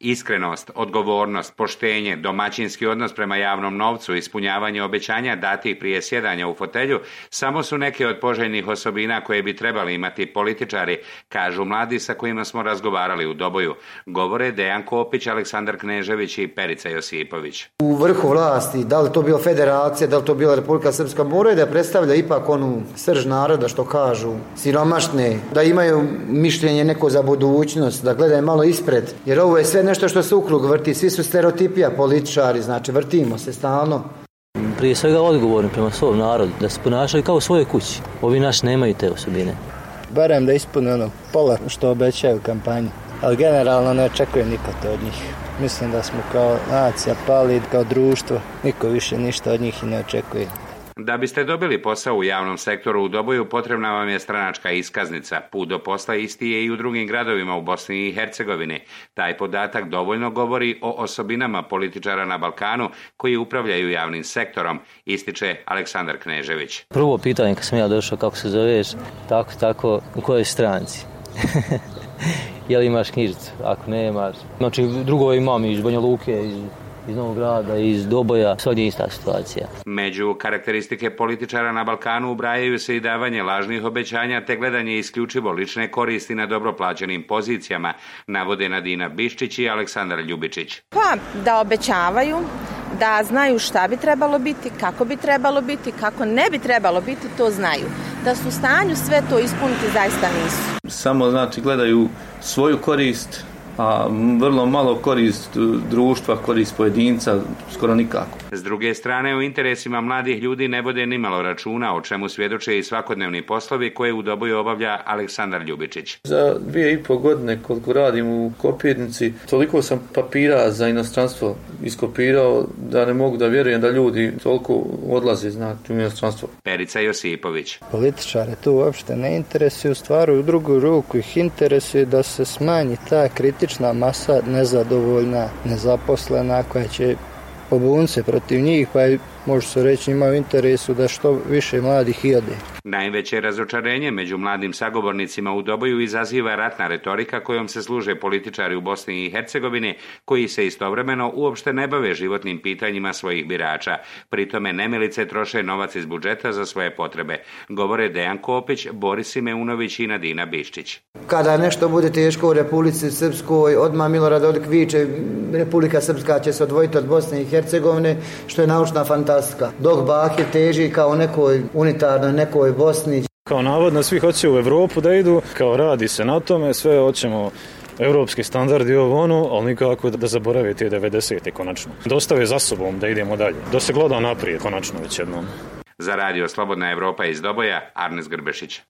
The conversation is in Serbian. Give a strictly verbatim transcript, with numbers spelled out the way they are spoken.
Iskrenost, odgovornost, poštenje, domaćinski odnos prema javnom novcu, ispunjavanje obećanja datih prije sjedanja u fotelju samo su neke od poželjnih osobina koje bi trebali imati političari, kažu mladi sa kojima smo razgovarali u Doboju. Govore Dejan Kopić, Aleksandar Knežević i Perica Josipović. U vrhu vlasti, da li to bila federacija, da li to bila Republika Srpska, moraju da predstavlja ipak onu srž naroda, što kažu, siromašne, da imaju mišljenje neko za budućnost, da gledaju malo ispred, jer ovo je sve nešto što se ukrug vrti, svi su stereotipija političari, znači vrtimo se stalno. Prije svega odgovorni prema svom narodu, da se ponašaju kao u svojoj kući. Ovi naši nemaju te osobine. Barem da ispune ono pola što obećaju u kampanji, ali generalno ne očekujem nikad to od njih. Mislim da smo kao nacija pali, kao društvo, niko više ništa od njih i ne očekuje. Da biste dobili posao u javnom sektoru u Doboju, potrebna vam je stranačka iskaznica. Put do posla isti je i u drugim gradovima u Bosni i Hercegovini. Taj podatak dovoljno govori o osobinama političara na Balkanu koji upravljaju javnim sektorom, ističe Aleksandar Knežević. Prvo pitanje kad sam ja došao, kako se zoveš, tako, tako, u kojoj stranci? Je li imaš knjižicu? Ako ne imaš. Znači, drugo imam iz Banja Luke, iz iz Novog Grada, iz Doboja, svakdje ista situacija. Među karakteristike političara na Balkanu ubrajaju se i davanje lažnih obećanja te gledanje isključivo lične koristi na dobro plaćenim pozicijama, navode Nadina Biščić i Aleksandar Ljubičić. Pa, da obećavaju, da znaju šta bi trebalo biti, kako bi trebalo biti, kako ne bi trebalo biti, to znaju. Da su u stanju sve to ispuniti, zaista nisu. Samo, znači, gledaju svoju korist, a vrlo malo korist društva, korist pojedinca, skoro nikako. S druge strane, u interesima mladih ljudi ne vode nimalo računa, o čemu svjedoče i svakodnevni poslovi koje u Doboju obavlja Aleksandar Ljubičić. Za dvije i pol godine koliko radim u kopirnici, toliko sam papira za inostranstvo iskopirao da ne mogu da vjerujem da ljudi toliko odlaze, znači, u inostranstvo. Perica Josipović. Političare tu uopšte ne interesuju, stvaru u drugu ruku ih interesuje da se smanji ta kritična masa nezadovoljna, nezaposlena koja će pobuniti se protiv njih, pa može se reći imaju u interesu da što više mladih i ode. Najveće razočarenje među mladim sagovornicima u Doboju izaziva ratna retorika kojom se služe političari u Bosni i Hercegovini koji se istovremeno uopšte ne bave životnim pitanjima svojih birača. Pritome nemilice troše novac iz budžeta za svoje potrebe. Govore Dejan Kopić, Boris Simeunović i Nadina Biščić. Kada nešto bude teško u Republici Srpskoj, odmah Milorad Dodik viče Republika Srpska će se odvojiti od Bosne i Hercegovine, što je naučna fantastika. Dok Bakir teži kao nekoj unitarnoj, nekoj Bosni. Kao navodno svi hoće u Europu da idu, kao radi se na tome, sve hoćemo europski standardi ovo ono, ali nikako da zaborave te devedesete konačno. Dostave za sobom da idemo dalje, da se gleda naprijed konačno već jednom. Za radio Slobodna Evropa iz Doboja, Arnes Grbešić.